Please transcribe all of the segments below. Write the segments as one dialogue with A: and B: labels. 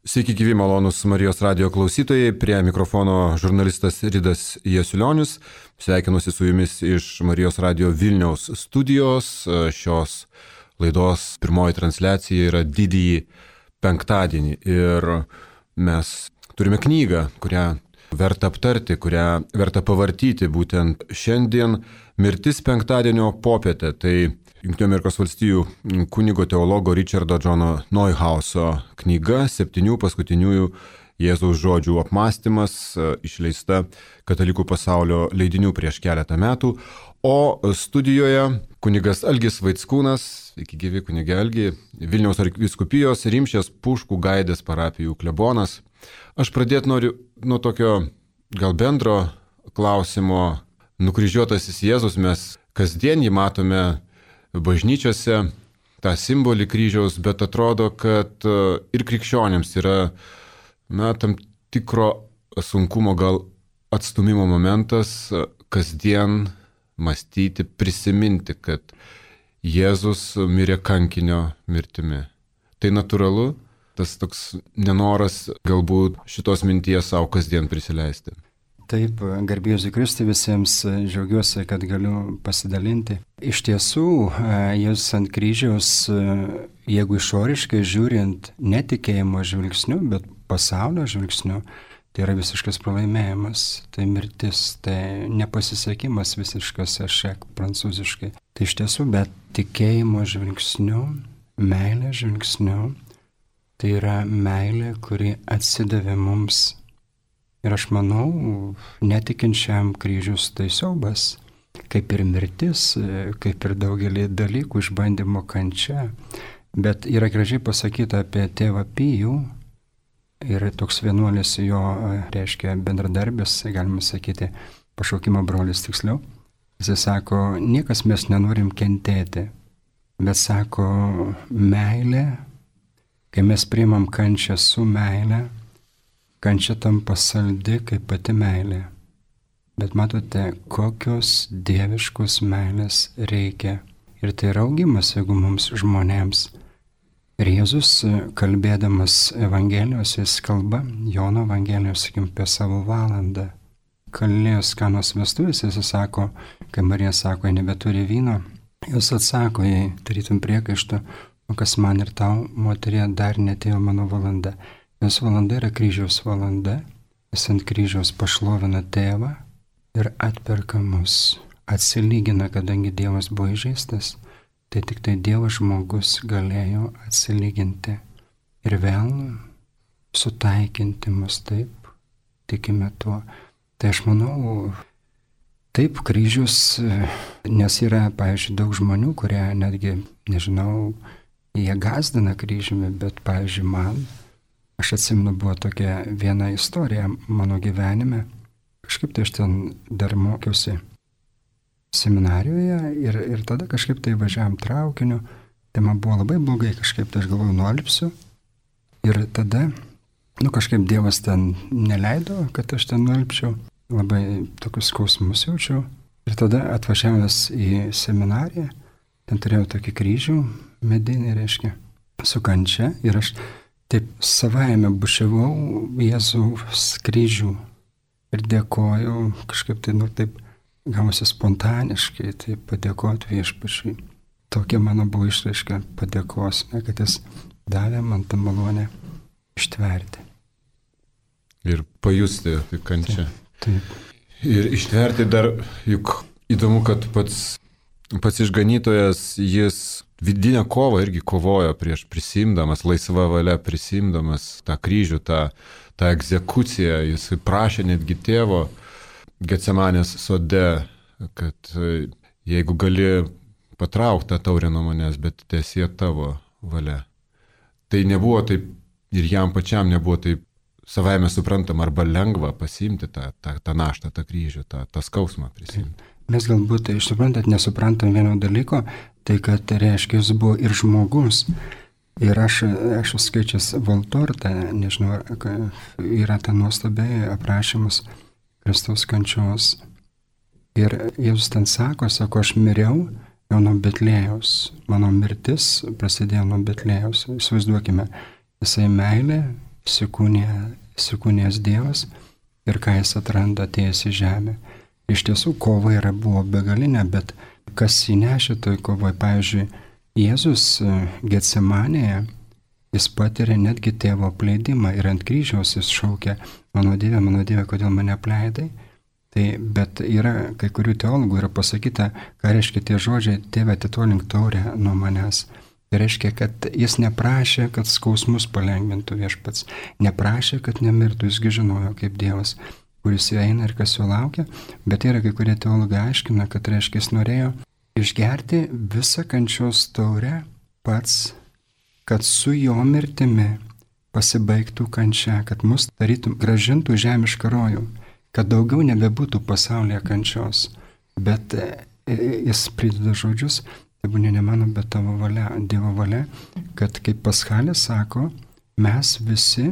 A: Sveiki gyvi malonūs Marijos radijo klausytojai, prie mikrofono žurnalistas Ridas Jasiulionis. Sveikinuosi su jumis iš Marijos radijo Vilniaus studijos. Šios laidos pirmoji transliacija yra didįjį penktadienį ir mes turime knygą, kurią verta aptarti, kurią verta pavartyti būtent šiandien mirtis penktadienio popietę. Tai Junktinių Amerikos valstijų kunigo teologo Richardo Johno Neuhauso knyga 7 paskutiniųjų Jėzaus žodžių apmąstymas, išleista Katalikų pasaulio leidinių prieš keletą metų. O studijoje kunigas Algis Vaickūnas, iki gyvi kunigė Algi, Vilniaus arkivyskupijos Rimšės Puškų Gaidės parapijų klebonas. Aš pradėti noriu nuo tokio gal bendro klausimo. Nukryžiuotasis Jėzus, mes kasdien jį matome bažnyčiose, tą simbolį kryžiaus, bet atrodo, kad ir krikščionėms yra tam tikro sunkumo gal atstumimo momentas kasdien mąstyti, prisiminti, kad Jėzus mirė kankinio mirtimi. Tai natūralu, tas toks nenoras galbūt šitos minties savo kasdien prisileisti.
B: Taip, garbė Jėzui Kristui, visiems džiaugiuosi, kad galiu pasidalinti. Iš tiesų, Jėzus ant kryžiaus, jeigu išoriškai žiūrint netikėjimo žvilgsniu, bet pasaulio žvilgsniu, tai yra visiškas pralaimėjimas, tai mirtis, tai nepasisekimas visiškas, ešek prancūziškai. Tai iš tiesų, bet tikėjimo žvilgsniu, meilė žvilgsniu, tai yra meilė, kuri atsidavė mums. Ir aš manau, netikinčiam kryžius tai siaubas, kaip ir mirtis, kaip ir daugelį dalykų, išbandymo kančia. Bet yra gražiai pasakyta apie tėvą Pijų ir toks vienuolis jo, reiškia bendradarbis, galima sakyti, pašaukimo brolis tiksliau. Jis sako, niekas mes nenorim kentėti, bet sako, meilė, kai mes priimam kančią su meilė, kančia tampa saldi kaip pati meilė. Bet matote, kokios dieviškos meilės reikia. Ir tai yra augimas, jeigu mums žmonėms. Ir Jėzus, kalbėdamas Evangelijos, jis kalba, Jono Evangelijos, sakim, apie savo valandą. Kalėjos Kanos vestuvės, jis sako, kai Marija sako, jie nebeturi vyno, jis atsako, jei tarytum priekaištą, o kas man ir tau, moterie, dar netėjo mano valanda. Jos valanda yra kryžiaus valanda, jis ant kryžiaus pašlovina tėvą ir atperka mus, atsilygina, kadangi Dievas buvo įžeistas, tai tik tai Dievo žmogus galėjo atsilyginti ir vėl sutaikinti mus, taip, tikime tuo. Tai aš manau, taip kryžius, nes yra, pavyzdžiui, daug žmonių, kurie netgi, nežinau, jie gazdina kryžiumi, bet, pavyzdžiui, man, aš atsimenu, buvo tokia viena istorija mano gyvenime. Kažkaip tai aš ten dar mokiausi seminarijoje ir tada kažkaip tai važiavam traukiniu. Tai man buvo labai blogai, kažkaip tai aš galvoju, nualpsiu. Ir tada, kažkaip Dievas ten neleido, kad aš ten nualpčiau. Labai tokius skausmus jaučiau. Ir tada atvažiavęs į seminariją, ten turėjau tokį kryžių medinį, reiškia, su kančia. Ir aš taip savaime bušiavau Jėzaus kryžių ir dėkojau, kažkaip tai, taip gavosi spontaniškai, tai padėkoti Viešpačiui. Tokia mano buvo išraiška padėkos, kad jis davė man tą malonę ištverti.
A: Ir pajusti kančią.
B: Taip.
A: Ir ištverti dar, juk įdomu, kad pats išganytojas, jis vidinę kovą irgi kovojo prieš prisimdamas, laisva valia prisimdamas tą kryžių, tą egzekuciją. Jis prašė netgi tėvo Getsemanės sode, kad jeigu gali patraukti tą taurę nuo manęs, bet teesie tavo valia. Tai nebuvo taip, ir jam pačiam nebuvo taip savaime suprantama arba lengva pasiimti tą naštą, tą kryžių, tą skausmą prisimti.
B: Mes galbūt, suprantat, nesuprantam vieno dalyko, tai kad reiškia, jis buvo ir žmogus. Ir aš skaičias Valtortą, nežinau, yra ta nuostabiai aprašymas Kristaus kančios. Ir Jėzus ten sako, aš miriau jau nuo Betlėjaus. Mano mirtis prasidėjo nuo Betlėjaus. Įsivaizduokime, jisai meilė įsikūnijęs Dievas ir ką jis atranda atėjęs į žemę. Iš tiesų, kova buvo begalinė, bet kas įnešė toj kovoj, pavyzdžiui, Jėzus Getsemanėje, jis patiria netgi tėvo apleidimą ir ant kryžiaus jis šaukia, mano Dieve, kodėl mane apleidai? Bet yra kai kurių teologų yra pasakyta, ką reiškia tie žodžiai, tėve atitolink taurę nuo manęs. Tai reiškia, kad jis neprašė, kad skausmus palengvintų Viešpats, neprašė, kad nemirtų, jisgi žinojo kaip Dievas, kuris eina ir kas jo laukia, bet yra kai kurie teologai aiškina, kad reiškia, jis norėjo išgerti visą kančios taurę pats, kad su jo mirtimi pasibaigtų kančia, kad mus tarytum gražintų žemišką rojų, kad daugiau nebebūtų pasaulyje kančios. Bet jis prideda žodžius, tebūnie ne mano, bet tavo valia, Dievo valia, kad kaip Paschalis sako, mes visi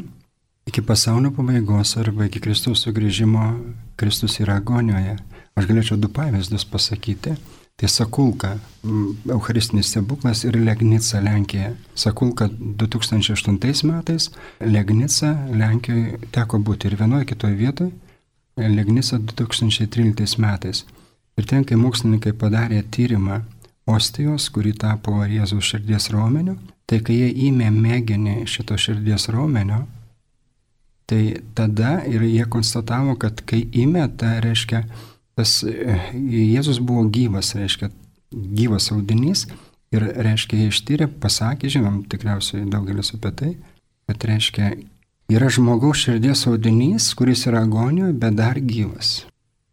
B: iki pasaulio pabaigos arba iki Kristaus sugrįžimo, Kristus yra agonijoje. Aš galėčiau 2 pavyzdžius pasakyti. Tai Sakulka, Eucharistinis stebuklas ir Legnica Lenkija. Sakulka 2008 metais, Legnica Lenkijoje teko būti ir vienoje kitoje vietoje, Legnica 2013 metais. Ir ten, kai mokslininkai padarė tyrimą ostijos, kuri tapo Jėzaus širdies raumeniu, tai kai jie įmė mėginį šito širdies raumenio, tai tada ir jie konstatavo, kad kai įmė, tai reiškia, tas Jėzus buvo gyvas, reiškia, gyvas audinys ir, reiškia, jie ištyrė, pasakė, žinom, tikriausiai daugelis apie tai, kad, reiškia, yra žmogaus širdies audinys, kuris yra agonijoje, bet dar gyvas.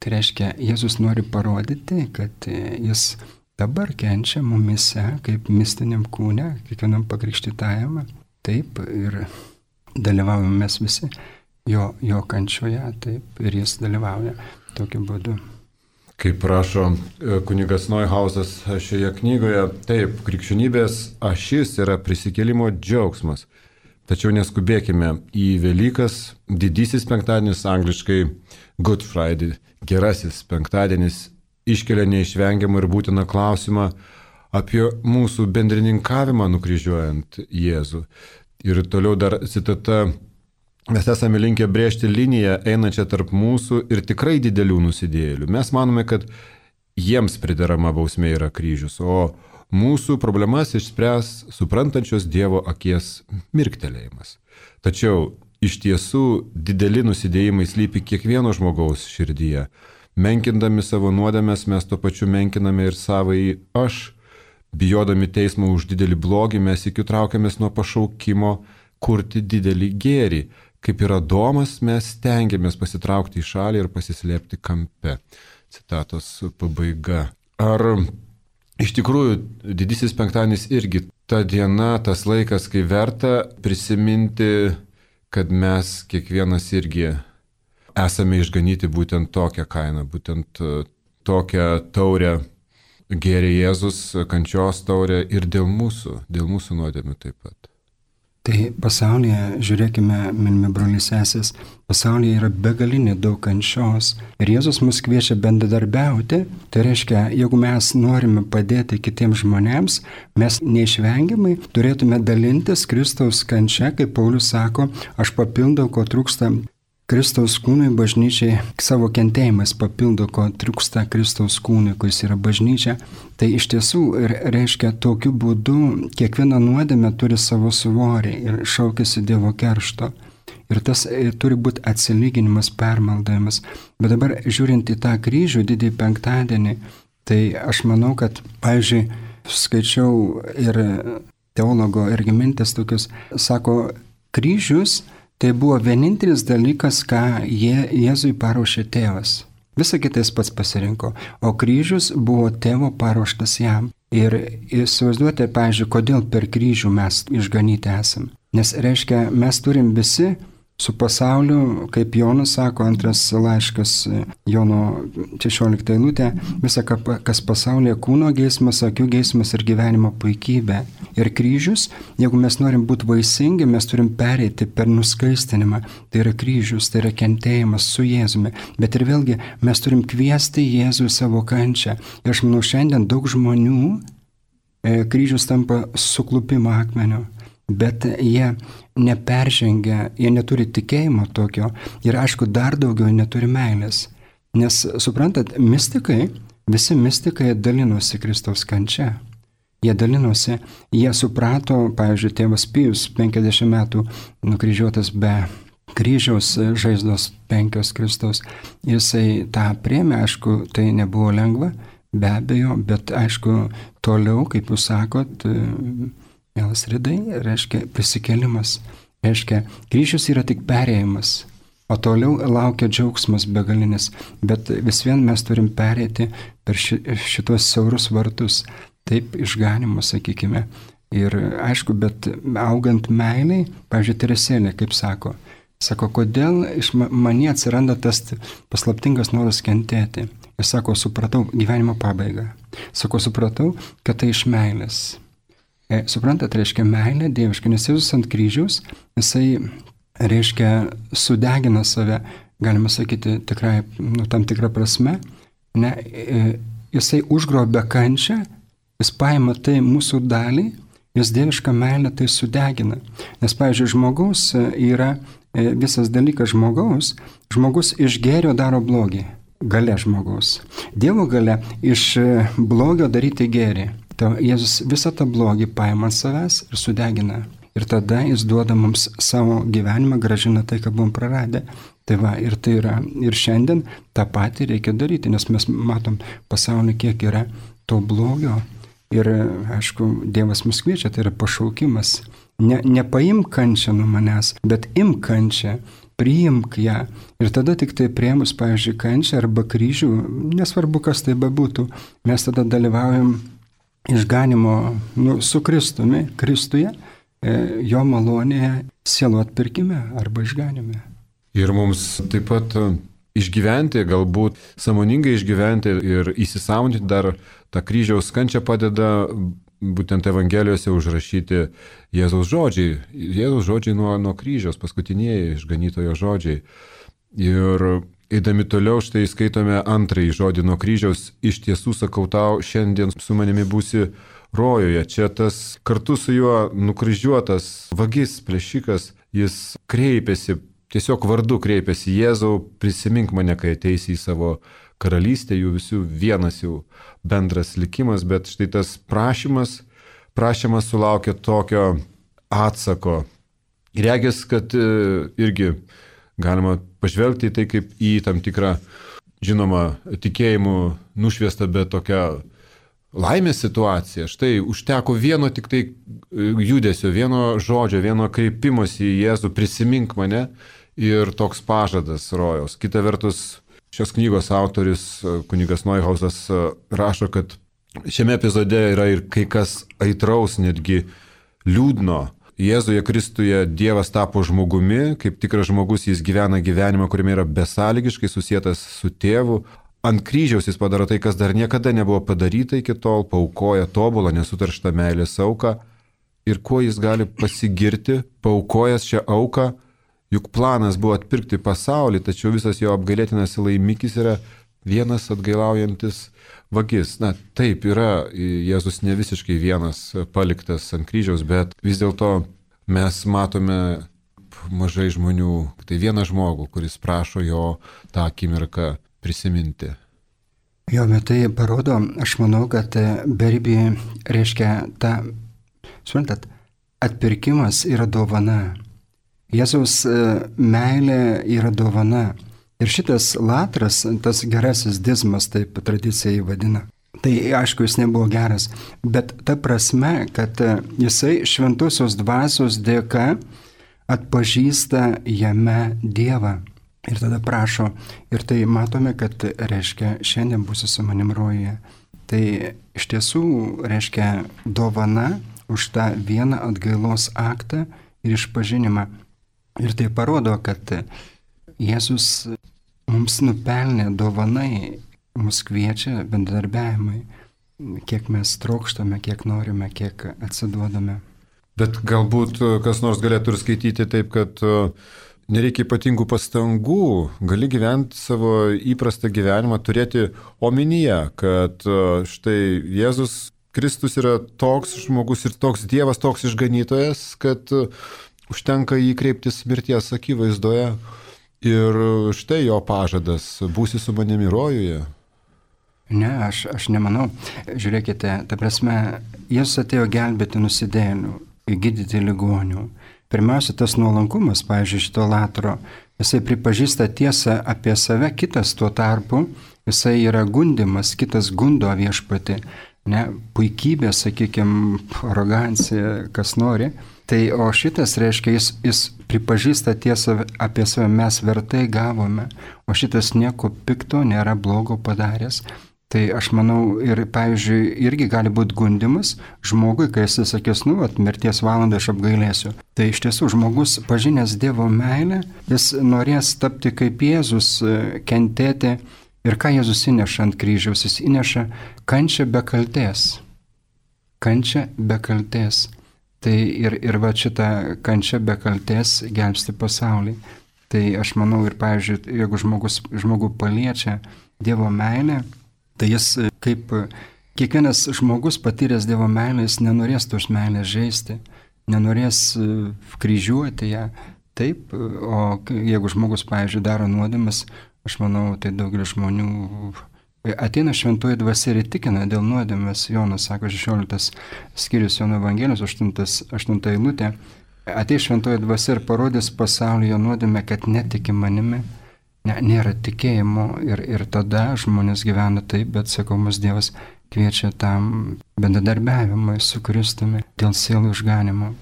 B: Tai reiškia, Jėzus nori parodyti, kad jis dabar kenčia mumise, kaip mistiniam kūne, kiekvienam pakrikštytajam, taip, ir dalyvaujame mes visi jo kančioje, taip, ir jis dalyvauja tokiu būdu.
A: Kaip rašo kunigas Neuhausas šioje knygoje, taip, krikščionybės ašis yra prisikėlimo džiaugsmas. Tačiau neskubėkime į Velykas, didysis penktadienis, angliškai Good Friday, gerasis penktadienis, iškelia neišvengiamą ir būtiną klausimą apie mūsų bendrininkavimą nukryžiuojant Jėzų. Ir toliau dar citata, mes esame linkę brėžti liniją einančią tarp mūsų ir tikrai didelių nusidėjėlių. Mes manome, kad jiems priderama bausmė yra kryžius, o mūsų problemas išspręs suprantančios Dievo akies mirktelėjimas. Tačiau iš tiesų dideli nusidėjimai slypi kiekvieno žmogaus širdyje. Menkindami savo nuodėmes mes tuo pačiu menkiname ir savąjį aš. Bijodami teismo už didelį blogį mes iki traukiamės nuo pašaukimo kurti didelį gėrį. Kaip ir Adomas mes stengiamės pasitraukti į šalį ir pasislėpti kampe. Citatos pabaiga. Ar iš tikrųjų didysis penktadienis irgi ta diena, tas laikas, kai verta prisiminti, kad mes kiekvienas irgi esame išganyti būtent tokią kainą, būtent tokią taurę gėrė Jėzus, kančios taurę ir dėl mūsų nuodėmių taip pat.
B: Tai pasaulyje, žiūrėkime, mylimi broliai sesės, pasaulyje yra begalinė daug kančios ir Jėzus mus kviečia bendradarbiauti. Tai reiškia, jeigu mes norime padėti kitiems žmonėms, mes neišvengiamai turėtume dalintis Kristaus kančia, kaip Paulius sako, aš papildau, ko trūksta Kristaus kūnui, bažnyčiai, savo kentėjimais papildo, ko trūksta Kristaus kūnui, kuris yra bažnyčia. Tai iš tiesų reiškia, tokiu būdu kiekviena nuodėmė turi savo svorį ir šaukiasi Dievo keršto. Ir tas turi būti atsilyginimas, permaldavimas. Bet dabar žiūrint į tą kryžių, didįjį penktadienį, tai aš manau, kad, pavyzdžiui, skaičiau ir teologo irgi mintis tokius, sako, kryžius tai buvo vienintelis dalykas, ką Jėzui paruošė tėvas. Visą kitą jis pats pasirinko, o kryžius buvo tėvo paruoštas jam. Ir įsivaizduoti, pavyzdžiui, kodėl per kryžių mes išganyti esam. Nes reiškia, mes turim visi su pasauliu, kaip Jonas sako, antras laiškas Jono 16 eilutė, visa, kas pasaulyje kūno geismas, akių geismas ir gyvenimo puikybė. Ir kryžius, jeigu mes norim būti vaisingi, mes turim pereiti per nuskaistinimą. Tai yra kryžius, tai yra kentėjimas su Jėzumi. Bet ir vėlgi mes turim kviesti Jėzų į savo kančią. Ir aš manau, šiandien daug žmonių kryžius tampa suklupimo akmeniu. bet jie neperžengia, jie neturi tikėjimo tokio ir aišku dar daugiau neturi meilės. Nes suprantat, visi mistikai dalinosi Kristaus kančia. Jie dalinosi, jie suprato, pavyzdžiui, tėvas Pijus 50 metų nukryžiuotas be kryžiaus žaizdos 5 Kristaus. Jisai tą priėmė, aišku, tai nebuvo lengva, be abejo, bet aišku, toliau, kaip jūs sakot, mielas Ridai, reiškia prisikėlimas. Reiškia, kryžius yra tik perėjimas, o toliau laukia džiaugsmas begalinis. Bet vis vien mes turim perėti per šitos siaurus vartus, taip išganimo, sakykime. Ir aišku, bet augant meiliai, pavyzdžiui, Teresėlė, kaip sako, kodėl iš manyje atsiranda tas paslaptingas noras kentėti. Ir sako, supratau gyvenimo pabaigą. Sako, supratau, kad tai iš meilės. Suprantat, reiškia meilė dieviška, nes Jėzus ant kryžiaus, jisai, reiškia, sudegina save, galima sakyti, tikrai, tam tikrą prasme, ne, jisai užgrobia kančią, jis paima tai mūsų dalį, jis dievišką meilę tai sudegina. Nes, pavyzdžiui, žmogus yra visas dalykas žmogus iš gėrio daro blogį, galia žmogaus. Dievo galia iš blogio daryti gėrį. Jėzus visą tą blogį paima ant savęs ir sudegina. Ir tada jis duoda mums savo gyvenimą, gražina tai, ką buvom praradę. Tai va, ir tai yra, ir šiandien tą patį reikia daryti, nes mes matom pasaulį, kiek yra to blogio. Ir, aišku, Dievas mus kviečia, tai yra pašaukimas. Nepaimk kančią nuo manęs, bet imk kančią, priimk ją. Ir tada tik tai priėmus, pavyzdžiui, kančią arba kryžių, nesvarbu, kas tai bebūtų, mes tada dalyvaujam išganimo su Kristuje, jo malonėje, sielų atpirkime arba išganime.
A: Ir mums taip pat išgyventi, galbūt sąmoningai išgyventi ir įsisąmoninti dar tą kryžiaus kančią padeda būtent Evangelijose užrašyti Jėzaus žodžiai. Jėzaus žodžiai nuo kryžiaus, paskutinieji išganytojo žodžiai. Ir eidami toliau, štai skaitome antrąjį žodį nuo kryžiaus. Iš tiesų sakau tau, šiandien su manimi būsi rojuje. Čia tas kartu su juo nukryžiuotas vagis, plėšikas, jis kreipiasi, tiesiog vardu kreipiasi: Jėzau, prisimink mane, kai ateisi į savo karalystę, jų visų vienas jau bendras likimas, bet štai tas prašymas sulaukia tokio atsako. Regis, kad irgi galima pažvelgti į tai kaip į tam tikrą, žinoma, tikėjimų nušviestą, bet tokią laimės situaciją. Štai užteko vieno tik tai judesio, vieno žodžio, vieno kreipimosi į Jėzų: prisimink mane, ir toks pažadas rojaus. Kita vertus, šios knygos autorius, kunigas Neuhausas, rašo, kad šiame epizode yra ir kai kas aitraus, netgi liūdno. Jėzuje Kristuje Dievas tapo žmogumi, kaip tikras žmogus jis gyvena gyvenimą, kuriame yra besąlygiškai susietas su tėvu. Ant kryžiaus jis padaro tai, kas dar niekada nebuvo padaryta iki tol, paaukoja tobulą, nesutarštą meilės auką. Ir kuo jis gali pasigirti, paaukojęs šią auką? Juk planas buvo atpirkti pasaulį, tačiau visas jo apgailėtinas laimikis yra vienas atgailaujantis vagis. Na, taip yra, Jėzus ne visiškai vienas paliktas ant kryžiaus, bet vis dėlto mes matome mažai žmonių, tai vieną žmogų, kuris prašo jo tą akimirką prisiminti.
B: Jo, bet tai parodo, aš manau, kad beribį reiškia suprantat, atpirkimas yra dovana. Jėzaus meilė yra dovana. Ir šitas latras, tas gerasis dizmas, taip tradicija jį vadina. Tai aišku, jis nebuvo geras, bet ta prasme, kad jisai šventosios dvasios dėka atpažįsta jame Dievą. Ir tada prašo, ir tai matome, kad reiškia, šiandien būsi su manim rojuje. Tai iš tiesų reiškia dovana už tą vieną atgailos aktą ir išpažinimą. Ir tai parodo, kad Jėzus mums nupelnė dovanai, mus kviečia bendradarbiavimui, kiek mes trokštame, kiek norime, kiek atsiduodame.
A: Bet galbūt kas nors galėtų ir skaityti taip, kad nereikia ypatingų pastangų, gali gyventi savo įprastą gyvenimą, turėti omenyje, kad štai Jėzus Kristus yra toks žmogus ir toks Dievas, toks išganytojas, kad užtenka jį kreiptis mirties akivaizdoje. Ir štai jo pažadas, būsi su manimi rojuje.
B: Ne, aš nemanau. Žiūrėkite, ta prasme, Jėzus atėjo gelbėti nusidėjėlių, gydyti ligonių. Pirmiausia, tas nuolankumas, pavyzdžiui, šito Latro, jisai pripažįsta tiesą apie save, kitas tuo tarpu, jisai yra gundimas, kitas gundo viešpatį, ne, puikybė, sakykime, arogancija, kas nori. Tai o šitas reiškia, jis pripažįsta tiesą apie save, mes vertai gavome, o šitas nieko pikto nėra blogo padaręs. Tai aš manau ir, pavyzdžiui, irgi gali būti gundimas žmogui, kai jis sakys, mirties valandą aš apgailėsiu. Tai iš tiesų žmogus pažinęs Dievo meilę, jis norės tapti kaip Jėzus, kentėti. Ir ką Jėzus įneša ant kryžiaus? Jis įneša kančią be kaltės. Kančią be kaltės. Tai ir va šitą kančią be kaltės gelbsti pasaulį. Tai aš manau ir, pavyzdžiui, jeigu žmogų paliečia Dievo meilė, tai jis kaip kiekvienas žmogus patyręs Dievo meilę, jis nenorės tos meilės žeisti, nenorės kryžiuoti ją. Taip, o jeigu žmogus, pavyzdžiui, daro nuodėmes, aš manau, tai daugelis žmonių ateina šventoji dvasia ir įtikina dėl nuodėmės. Jonas sako, 16 skyrius Jono Evangelijos, 8 eilutė. Ateis šventoji dvasia ir parodys pasaulyje nuodėmę, kad netiki manimi. Nėra tikėjimo ir tada žmonės gyvena taip, bet sakau, mūsų Dievas kviečia tam bendradarbiavimui su Kristumi dėl sielų išganimo.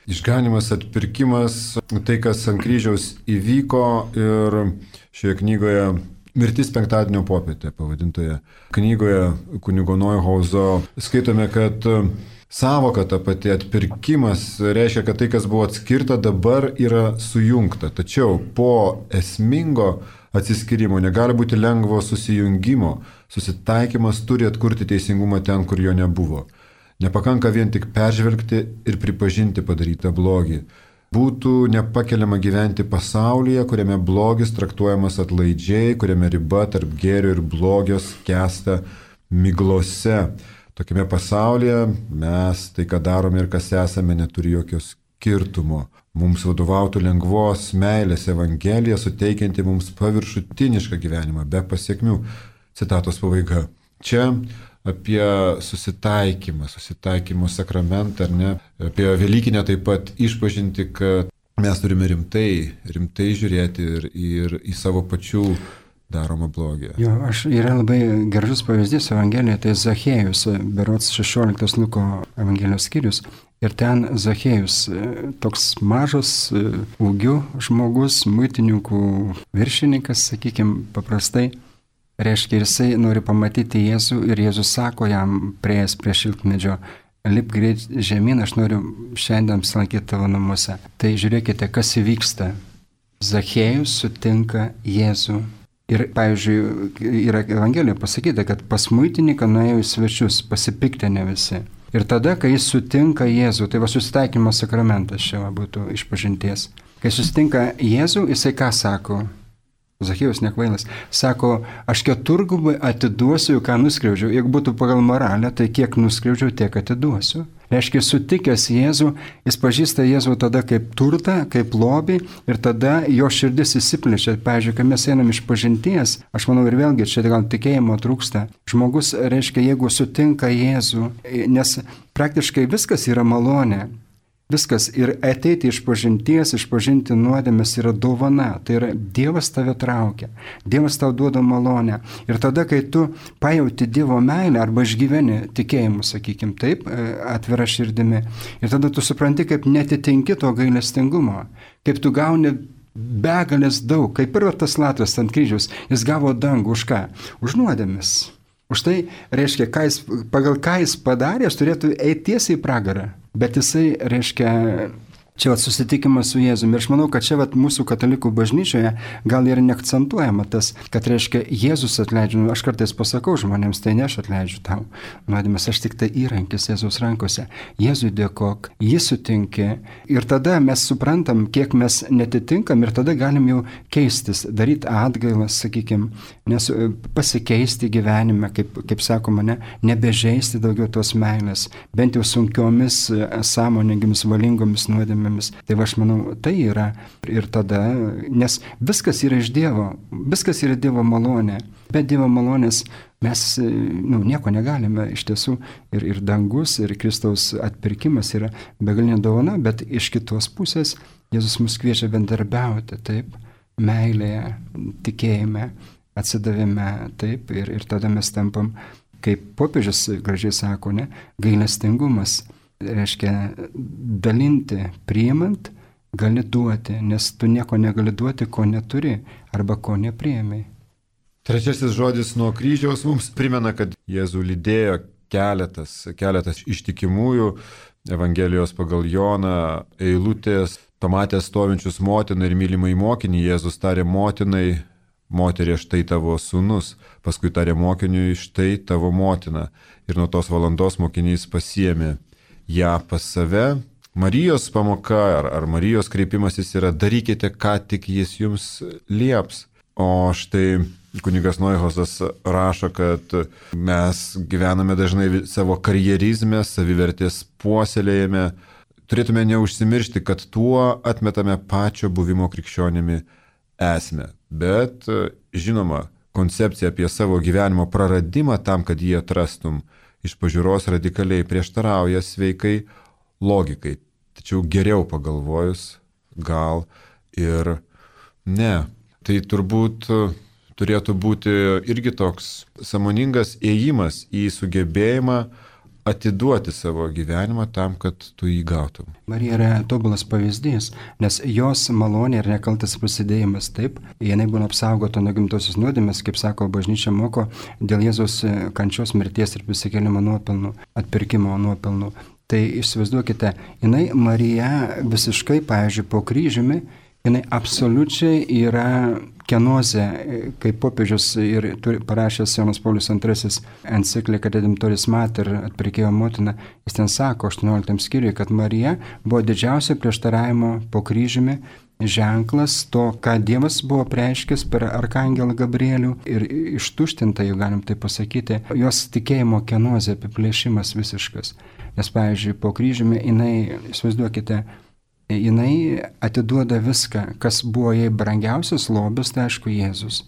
A: Išganimas, atpirkimas, tai kas ant kryžiaus įvyko ir šioje knygoje Mirtis penktadienio popietė pavadintoje knygoje kunigo Neuhauzo skaitome, kad sąvoka ta pati atpirkimas reiškia, kad tai, kas buvo atskirta, dabar yra sujungta. Tačiau po esmingo atsiskyrimo negali būti lengvo susijungimo. Susitaikymas turi atkurti teisingumą ten, kur jo nebuvo. Nepakanka vien tik peržvelgti ir pripažinti padarytą blogį. Būtų nepakeliama gyventi pasaulyje, kuriame blogis traktuojamas atlaidžiai, kuriame riba tarp gėrio ir blogio skęsta miglose. Tokiame pasaulyje mes tai, ką darome ir kas esame, neturi jokio skirtumo. Mums vadovautų lengvos meilės evangelija, suteikianti mums paviršutinišką gyvenimą, be pasiekmių. Citatos pabaiga. Čia apie susitaikymo sakramentą, ar ne, apie Velykinę taip pat išpažinti, kad mes turime rimtai žiūrėti ir į savo pačių daromą blogį.
B: Jo, yra labai gražus pavyzdys Evangelijoje, tai Zachėjus, berods 16 Luko Evangelijos skyrius. Ir ten Zachėjus, toks mažas ūgių žmogus, muitininkų viršininkas, sakykime, paprastai. Reiškia, jisai nori pamatyti Jėzų ir Jėzus sako jam prieėjęs prie šilkmedžio, lip greit žemyn, aš noriu šiandien apsilankyti tavo namuose. Tai žiūrėkite, kas įvyksta. Zachėjus sutinka Jėzų. Ir, pavyzdžiui, yra Evangelijoje pasakyta, kad pas muitininką nuėjo į svečius, pasipiktinę visi. Ir tada, kai jis sutinka Jėzų, tai va susitaikymo sakramentas čia būtų išpažinties. Kai susitinka Jėzų, jisai ką sako? Zachėjus nekvailas. Sako, aš keturgubai atiduosiu, ką nuskriaudžiau. Jeigu būtų pagal moralę, tai kiek nuskriaudžiau, tiek atiduosiu. Reiškia, sutikęs Jėzų, jis pažįsta Jėzų tada kaip turtą, kaip lobį ir tada jo širdis įsiplečia. Pavyzdžiui, kai mes einam iš pažinties, aš manau ir vėlgi čia gal tikėjimo trūksta. Žmogus, reiškia, jeigu sutinka Jėzų, nes praktiškai viskas yra malonė. Viskas ir ateiti iš pažinties, išpažinti nuodėmes yra dovana, tai yra Dievas tave traukia, Dievas tau duoda malonę. Ir tada, kai tu pajauti Dievo meilę arba išgyveni tikėjimu, sakykime taip, atvira širdimi, ir tada tu supranti, kaip netitinki to gailestingumo, kaip tu gauni begalės daug, kaip ir tas Latras ant kryžiaus, jis gavo dangų už ką? Už nuodėmes. Už tai reiškia, pagal ką jis padarė, jis turėtų eiti tiesiai į pragarą. Bet jisai, reiškia, Čia susitikimas su Jėzumi. Ir aš manau, kad čia mūsų katalikų bažnyčioje gal ir neakcentuojama tas, kad reiškia Jėzus atleidžia. Aš kartais pasakau žmonėms, tai ne aš atleidžiu tau nuodėmes, aš tik tai įrankis Jėzaus rankose. Jėzui dėkok, jį sutinki. Ir tada mes suprantam, kiek mes netitinkam ir tada galim jau keistis, daryti atgailas, sakykime, nes pasikeisti gyvenime, kaip sakoma, nebežeisti daugiau tos meilės, bent jau sunkiomis, sąmoningomis, valingomis nuodėmėmis. Tai aš manau, tai yra ir tada, nes viskas yra iš Dievo, viskas yra Dievo malonė. Be Dievo malonės mes nieko negalime iš tiesų ir dangus, ir Kristaus atpirkimas yra begalinė dovana, bet iš kitos pusės Jėzus mus kviečia bendarbiauti, taip, meilėje, tikėjime, atsidavime, taip, ir tada mes tampam, kaip popiežius gražiai sako, gailestingumas. Reiškia, dalinti, priimant, gali duoti, nes tu nieko negali duoti, ko neturi arba ko nepriėmai.
A: Trečiasis žodis nuo kryžiaus mums primena, kad Jėzų lydėjo keletas ištikimųjų Evangelijos pagal Joną eilutės. Pamatęs stovinčius motiną ir mylimai mokinį, Jėzus tarė motinai, moterie, štai tavo sūnus, paskui tarė mokiniui, štai tavo motina. Ir nuo tos valandos mokinys pasiėmė ją pas save. Marijos pamoka ar Marijos kreipimasis yra darykite, ką tik jis jums lieps. O štai kunigas Neuhausas rašo, kad mes gyvename dažnai savo karjerizme, savivertės puoselėjame. Turėtume neužsimiršti, kad tuo atmetame pačio buvimo krikščionimi esmę. Bet žinoma, koncepcija apie savo gyvenimo praradimą tam, kad jį atrastum, iš pažiūros radikaliai prieštarauja sveikai logikai. Tačiau geriau pagalvojus, gal ir ne. Tai turbūt turėtų būti irgi toks sąmoningas ėjimas į sugebėjimą atiduoti savo gyvenimą tam, kad tu jį gautum.
B: Marija yra tobulas pavyzdys, nes jos malonė ir nekaltas prasidėjimas taip, jinai būna apsaugota nuo gimtosios nuodėmės, kaip sako bažnyčia moko, dėl Jėzaus kančios, mirties ir prisikėlimo nuopelnų, atpirkimo nuopelnų. Tai įsivaizduokite, jinai Marija visiškai, pavyzdžiui, po kryžiumi, jinai absoliučiai yra kenozė, kaip popiežius ir parašęs Jonas Paulius II encikliką Redemptoris Mater, atpirkėjo motina, jis ten sako 18 skyriuje, kad Marija buvo didžiausia prieštaravimo po kryžiumi ženklas to, ką Dievas buvo preiškęs per arkangelą Gabrielių ir ištuštinta, jau galim tai pasakyti, jos tikėjimo kenozė, apiplėšimas visiškas. Nes, pavyzdžiui, po kryžiumi jinai, įsivaizduokite, jinai atiduoda viską, kas buvo jai brangiausias lobis, tai aišku Jėzus.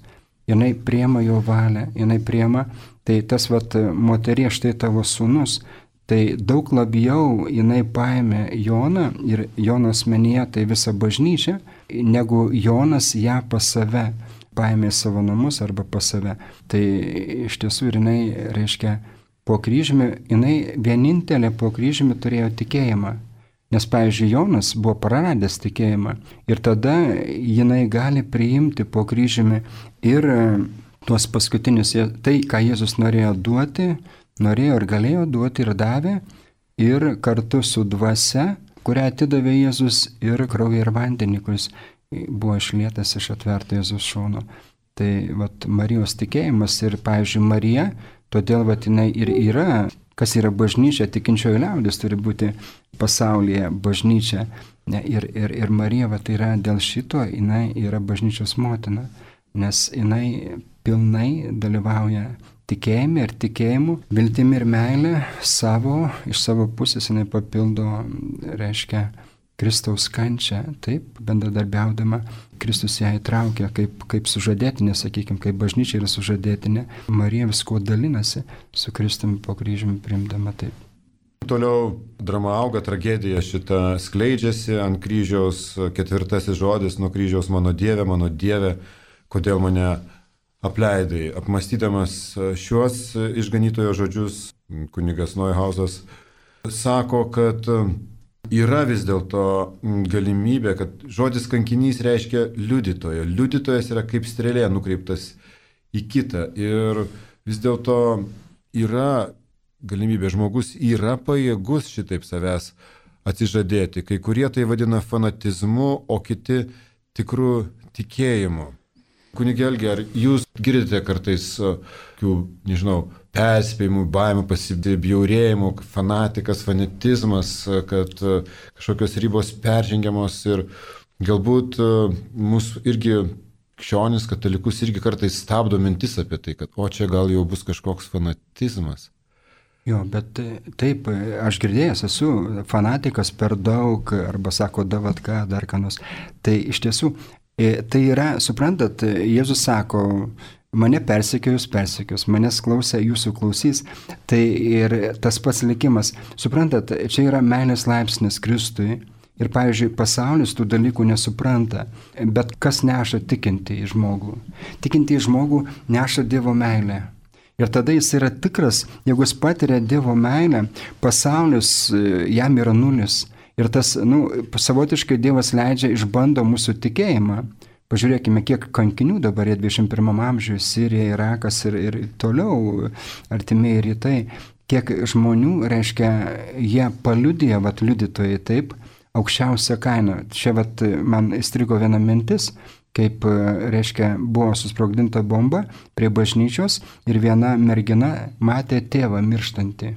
B: Jinai priema jo valią, jinai priema, tai tas moterie, štai tavo sūnus, tai daug labiau jinai paėmė Joną ir Jono asmenyje tai visą bažnyčią, negu Jonas ją pas save paėmė savo namus arba pas save. Tai iš tiesų ir jinai, reiškia, po kryžiumi, jinai vienintelė po kryžiumi turėjo tikėjimą. Nes, pavyzdžiui, Jonas buvo praradęs tikėjimą ir tada jinai gali priimti po kryžiumi ir tuos paskutinius, tai, ką Jėzus norėjo duoti, norėjo ir galėjo duoti ir davė, ir kartu su dvasia, kurią atidavė Jėzus, ir kraują ir vandenį, kuris buvo išlietas iš atverto Jėzus šono. Tai Marijos tikėjimas ir, pavyzdžiui, Marija, todėl jinai ir yra. Kas yra bažnyčia, tikinčioji liaudis turi būti pasaulyje bažnyčia. Ir Marija tai yra dėl šito, jinai yra bažnyčios motina, nes jinai pilnai dalyvauja tikėjime ir tikėjimu, viltimi ir meilė iš savo pusės jinai papildo, reiškia, Kristaus kančią, taip, bendradarbiaudama, Kristus ją įtraukia kaip sužadėtinė, sakykime, kaip bažnyčia yra sužadėtinė, Marija visko dalinasi su Kristumi po kryžiumi priimdama taip.
A: Toliau drama auga, tragedija šita skleidžiasi ant kryžiaus, 4 žodis nuo kryžiaus mano Dieve, kodėl mane apleidai. Apmąstydamas šiuos išganytojo žodžius, kunigas Neuhausas sako, kad yra vis dėlto galimybė, kad žodis kankinys reiškia liudytojo. Liudytojas yra kaip strėlė nukreiptas į kitą. Ir vis dėlto yra galimybė, žmogus yra pajėgus šitaip savęs atsižadėti. Kai kurie tai vadina fanatizmu, o kiti tikrų tikėjimu. Kunige Algi, ar jūs girdite kartais nežinau, perspėjimų, baimių, pasibjaurėjimų, fanatikas, fanatizmas, kad kažkokios ribos peržengiamos ir galbūt mūsų irgi krikščionis, katalikus irgi kartais stabdo mintis apie tai, kad čia gal jau bus kažkoks fanatizmas.
B: Jo, bet taip, aš girdėjęs esu fanatikas per daug, arba sako, davatka, dar ką nors. Tai iš tiesų, tai yra, suprantat, Jėzus sako, mane persekiojus, manęs klausia, jūsų klausys. Tai ir tas pats likimas. Suprantat, čia yra meilės laipsnis Kristui. Ir, pavyzdžiui, pasaulis tų dalykų nesupranta, bet kas neša tikintį žmogų? Tikintį žmogų neša Dievo meilę. Ir tada jis yra tikras, jeigu jis patiria Dievo meilę, pasaulis jam yra nulis. Ir tas, savotiškai Dievas leidžia išbando mūsų tikėjimą. Pažiūrėkime, kiek kankinių dabar 21 amžiuje, Sirija, Irakas ir toliau artimieji rytai. Kiek žmonių, reiškia, jie paliudija, liudytojai taip, aukščiausią kainą. Čia man įstrigo viena mintis, kaip, reiškia, buvo susprogdinta bomba prie bažnyčios ir viena mergina matė tėvą mirštantį.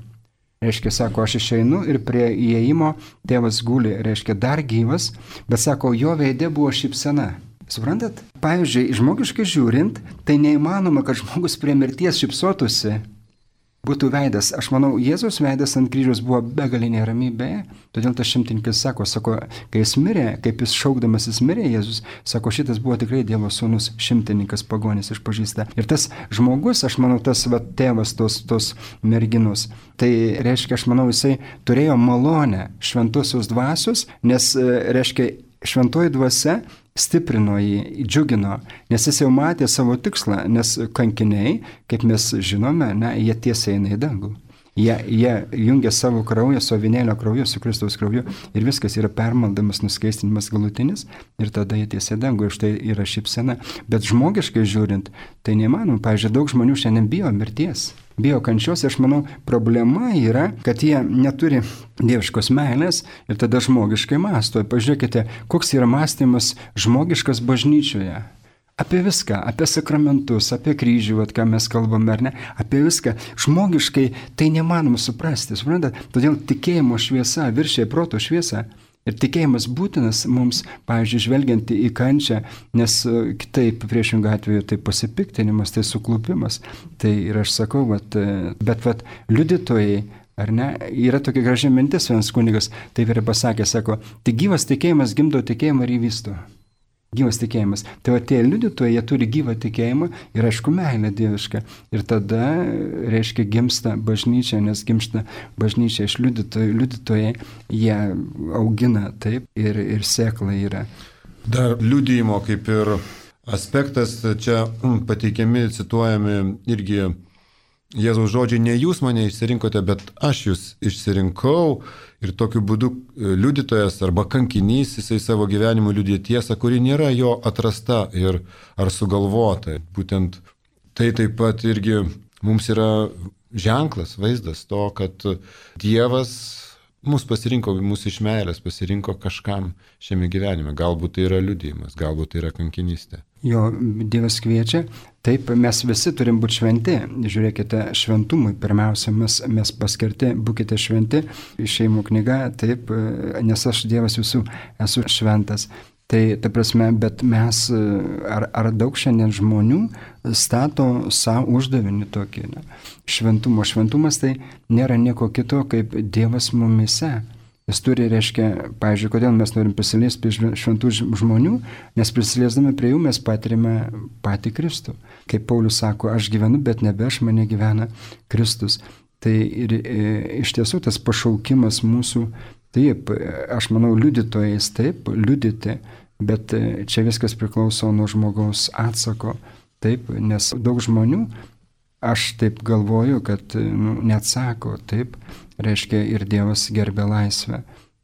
B: Reiškia, sako, aš išeinu ir prie įėjimo tėvas guli, reiškia, dar gyvas, bet sako, jo veide buvo šypsena. Suprantat? Pavyzdžiui, žmogiškai žiūrint, tai neįmanoma, kad žmogus prie mirties šypsotųsi. Būtų veidas. Aš manau, Jėzaus veidas ant kryžiaus buvo begalinė ramybė, todėl tas šimtininkas sako, kai jis mirė, kaip jis šaukdamas jis mirė, Jėzus, sako, šitas buvo tikrai Dievo sūnus, šimtininkas, pagonis išpažįsta. Ir tas žmogus, aš manau, tas tėvas tos merginos, tai reiškia, aš manau, jisai turėjo malonę šventosios dvasios, nes, reiškia, šventoji dvasia stiprino jį, džiugino, nes jis jau matė savo tikslą, nes kankiniai, kaip mes žinome, jie tiesiai eina į dangų. Jie jungia savo kraują, su avinėlio krauju, su Kristaus krauju ir viskas yra permaldamas, nuskaistinimas galutinis ir tada jie tiesiai į dangų ir štai yra šypsena. Bet žmogiškai žiūrint, tai neįmanoma. Pavyzdžiui, daug žmonių šiandien bijo mirties. Bijo kančios, aš manau, problema yra, kad jie neturi dieviškos meilės ir tada žmogiškai mąsto. Pažiūrėkite, koks yra mąstymas žmogiškas bažnyčioje. Apie viską, apie sakramentus, apie kryžių, ką mes kalbame, ar ne, apie viską. Žmogiškai tai nemanoma suprasti, suprantate? Todėl tikėjimo šviesa viršija proto šviesą. Ir tikėjimas būtinas mums, pavyzdžiui, žvelgiant į kančią, nes kitaip priešingą atveju tai pasipiktinimas, tai suklupimas. Tai ir aš sakau, bet liudytojai, ar ne, yra tokia graži mintis, vienas kunigas taip ir pasakė, sako, tik gyvas tikėjimas gimdo tikėjimą ir jį vysto. Gyvas tikėjimas. Tai tie liudytojai, jie turi gyvą tikėjimą ir aišku meilę dievišką. Ir tada, reiškia, gimsta bažnyčia, nes gimsta bažnyčia iš liudytojų. Liudytojai, jie augina taip ir sėkla yra.
A: Dar liudijimo kaip ir aspektas, čia pateikiami, cituojami irgi Jėzaus žodžiai, ne jūs mane išsirinkote, bet aš jūs išsirinkau ir tokiu būdu liudytojas arba kankinys, jisai savo gyvenimu liudija tiesą, kuri nėra jo atrasta ar sugalvota. Būtent tai taip pat irgi mums yra ženklas, vaizdas to, kad Dievas mus pasirinko, mūsų iš meilės pasirinko kažkam šiame gyvenime. Galbūt tai yra liudijimas, galbūt tai yra kankinystė.
B: Jo, Dievas kviečia. Taip, mes visi turim būti šventi. Žiūrėkite, šventumui pirmiausia, mes paskirti, būkite šventi. Išėjimų knyga, taip, nes aš Dievas visų esu šventas. Tai, ta prasme, bet mes, ar daug šiandien žmonių stato savo uždavinį tokį. Ne? Šventumas tai nėra nieko kito kaip Dievas mumise. Jis turi, reiškia, pavyzdžiui, kodėl mes norim prisiliesti prie šventų žmonių, nes prisiliesdami prie jų mes patirime patį Kristų. Kaip Paulius sako, aš gyvenu, bet nebe aš, mane gyvena Kristus. Tai ir iš tiesų tas pašaukimas mūsų, taip, aš manau, liudytojais, taip, liudyti, bet čia viskas priklauso nuo žmogaus atsako, taip, nes daug žmonių, aš taip galvoju, kad neatsako, taip, reiškia ir Dievas gerbė laisvę.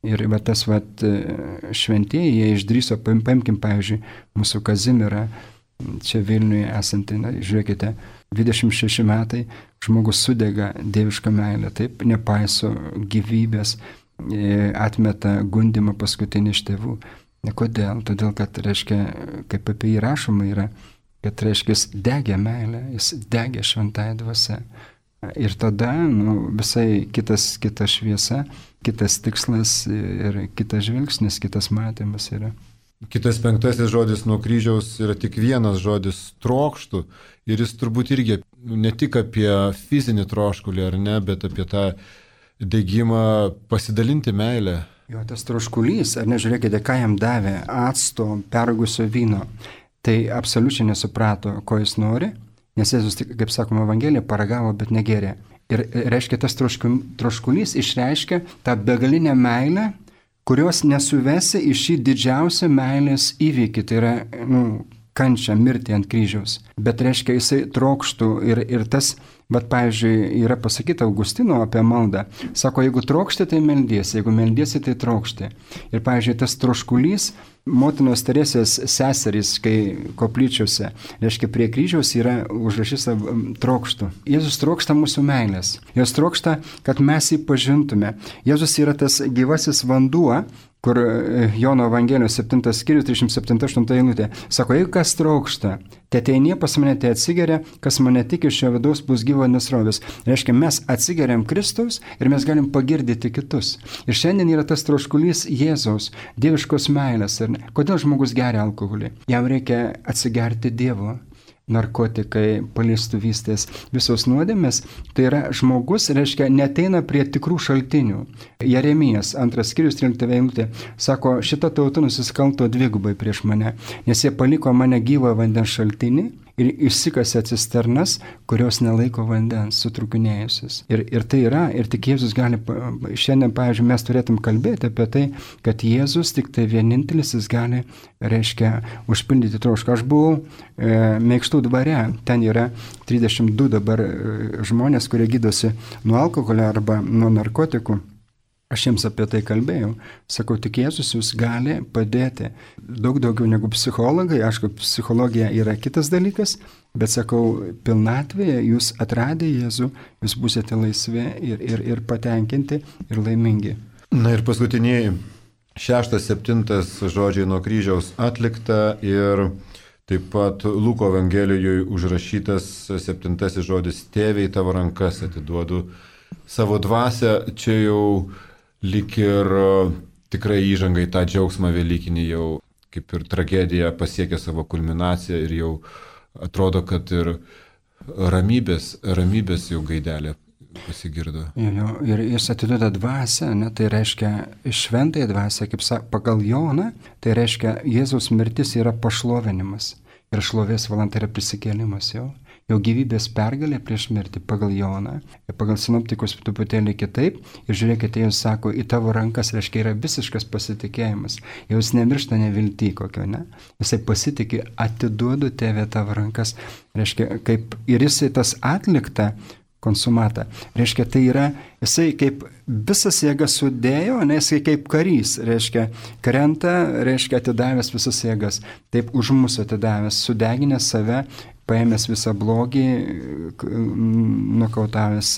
B: Ir tas šventieji, jie išdryso, paimkim, pavyzdžiui, mūsų Kazimierą, čia Vilniuje esantį, žiūrėkite, 26 metai, žmogus sudega dievišką meilę, taip, nepaiso gyvybės, atmeta gundimą paskutinį iš tėvų. Kodėl? Todėl, kad, reiškia, kaip apie jį rašoma yra, kad, reiškia, jis degė meilę, jis degė šventąją dvasią. Ir tada visai kita šviesa, kitas tikslas ir kitas žvilgsnis, kitas matymas yra.
A: Kitas 5 žodis nuo kryžiaus yra tik vienas žodis - trokštų. Ir jis turbūt irgi ne tik apie fizinį troškulį, ar ne, bet apie tą degimą pasidalinti meilę.
B: Jo, tas troškulys, ar nežiūrėkite, ką jam davė acto pergusio vyno. Tai absoliučiai nesuprato, ko jis nori. Nes Jėzus, kaip sakoma, Evangelija paragavo, bet negerė. Ir reiškia, tas troškulys išreiškia tą begalinę meilę, kurios nesuvesi į šį didžiausią meilės įvykį, tai yra kančią, mirtį ant kryžiaus. Bet reiškia, jisai trokštų ir tas, bet pavyzdžiui, yra pasakyta Augustino apie maldą. Sako, jeigu trokšti, tai meldiesi, jeigu meldiesi, tai trokšti. Ir pavyzdžiui, tas troškulys, motinos Teresės seserys, kai koplyčiose, reiškia, prie kryžiaus yra užrašyta trokštų. Jėzus trokšta mūsų meilės. Jos trokšta, kad mes jį pažintume. Jėzus yra tas gyvasis vanduo, kur Jono Evangelijos 7 skyrius 37-8 eilutė. Sako, jeigu kas trokšta, te ateinie pas mane, te atsigeria, kas mane tik iš jo vidaus bus gyvo nesrovės. Reiškia, mes atsigeriam Kristaus ir mes galim pagirdyti kitus. Ir šiandien yra tas troškulys Jėzaus, dieviškos meilės. Kodėl žmogus geria alkoholį? Jam reikia atsigerti Dievo. Narkotikai, palestuvystės, visos nuodėmės, tai yra žmogus, reiškia, neteina prie tikrų šaltinių. Jeremijas 2 skyrius 13 eilutė sako, šita tauta nusiskalto dvigubai prieš mane, nes jie paliko mane gyvą vandens šaltinį ir išsikasė cisternas, kurios nelaiko vandens, sutrukinėjusius. Ir tai yra, ir tik Jėzus gali, šiandien, pavyzdžiui, mes turėtum kalbėti apie tai, kad Jėzus tik tai vienintelis, jis gali, reiškia, užpildyti trošką. Aš buvau Mėkštų dvare, ten yra 32 dabar žmonės, kurie gydosi nuo alkoholio arba nuo narkotikų. Aš jiems apie tai kalbėjau. Sakau, tik Jėzus jūs gali padėti. Daug daugiau negu psichologai. Aišku, psichologija yra kitas dalykas, bet sakau, pilnatvėje jūs atradę Jėzų, jūs būsite laisvi ir patenkinti ir laimingi.
A: Na ir paskutiniai 6-7 žodžiai nuo kryžiaus atlikta ir taip pat Luko Evangelijoje užrašytas 7 žodis tėve į tavo rankas atiduodu savo dvasią. Čia jau lyg ir tikrai įžanga į tą džiaugsmą velykinį, jau kaip ir tragedija pasiekė savo kulminaciją ir jau atrodo, kad ir ramybės jau gaidelė pasigirdo.
B: Ir jis atiduoda dvasią, tai reiškia šventąją dvasią, kaip pagal Joną, tai reiškia Jėzaus mirtis yra pašlovinimas ir šlovės valanda yra prisikėlimas jau. Jau gyvybės pergalė prieš mirtį pagal Joną, pagal sinoptikus truputėlį kitaip. Ir žiūrėkite, jis sako, į tavo rankas, reiškia, yra visiškas pasitikėjimas. Jau jis nemiršta nevilty kokio, ne? Jisai pasitikė, atiduodu tėve tavo rankas. Reiškia, kaip ir jisai tas atlikta konsumata. Reiškia, tai yra, jisai kaip visas jėgas sudėjo, ne, jisai kaip karys, reiškia, krenta, reiškia, atidavęs visas jėgas. Taip už mūsų atidavęs, sudeginęs save, paėmęs visą blogį, nukautavęs,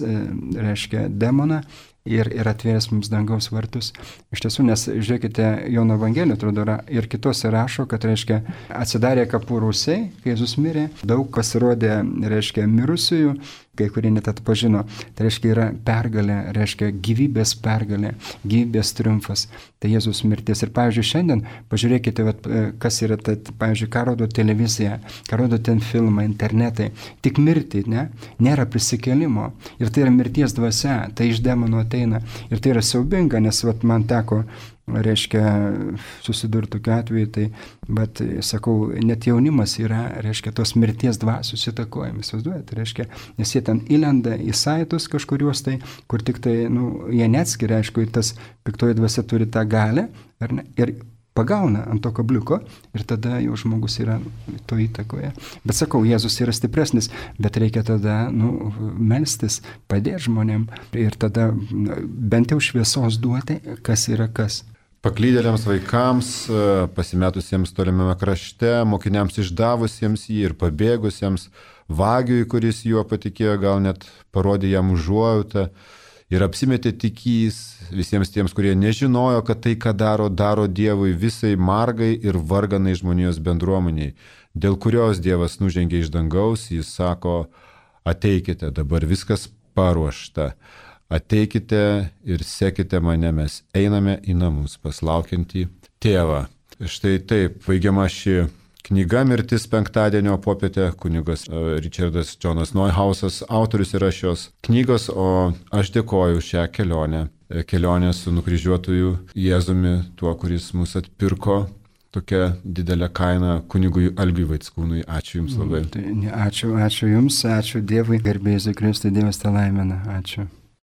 B: reiškia, demoną ir atvėręs mums dangaus vartus. Iš tiesų, nes, žiūrėkite, Jono Evangelijoje, atrodo, ir kitose rašo, kad, reiškia, atsidarė kapų rūsiai, kai Jėzus mirė, daug pasirodė, reiškia, mirusiųjų, kai kurie net atpažino. Tai reiškia, yra pergalė, reiškia, gyvybės pergalė, gyvybės triumfas. Tai Jėzus mirtis. Ir, pavyzdžiui, šiandien, pažiūrėkite, kas yra, pavyzdžiui, ką rodo televizija, ką rodo ten filmai, internetai. Tik mirti, ne? Nėra prisikėlimo. Ir tai yra mirties dvasia, tai iš demono ateina. Ir tai yra siaubinga, nes man teko, reiškia, susidurti tokiu atveju, tai, bet, sakau, net jaunimas yra, reiškia, tos mirties dvasios įtakojami, įsivaizduojate, reiškia, nes jie ten įlenda į saitus kažkuriuos tai, kur tik tai, jie neatskiria, aišku, tas piktoji dvasia turi tą galę, ar ne, ir pagauna ant to kabliuko ir tada jau žmogus yra to įtakoje. Bet sakau, Jėzus yra stipresnis, bet reikia tada, melstis, padėti žmonėm ir tada bent jau šviesos duoti, kas yra kas.
A: Paklydėliams vaikams, pasimetusiems tolimame krašte, mokiniams išdavusiems jį ir pabėgusiems, vagiui, kuris juo patikėjo, gal net parodė jam užuojautą ir apsimetė tikys visiems tiems, kurie nežinojo, kad tai, ką daro, daro Dievui visai margai ir varganai žmonijos bendruomeniai, dėl kurios Dievas nužengė iš dangaus, jis sako, ateikite, dabar viskas paruošta, ateikite ir sekite mane, mes einame į namus paslaukiantį tėvą. Štai taip, baigiama ši knyga Mirtis penktadienio popietę, kunigas Richardas Jonas Neuhausas, autorius yra šios knygos, o aš dėkoju šią kelionę su nukryžiuotuoju Jėzumi, tuo, kuris mus atpirko tokia didelė kaina, kunigui Algiui Vaickūnui. Ačiū Jums labai.
B: Ačiū Jums, ačiū Dievui, garbė Jėzui Kristui, Dievas te laimina. Ačiū.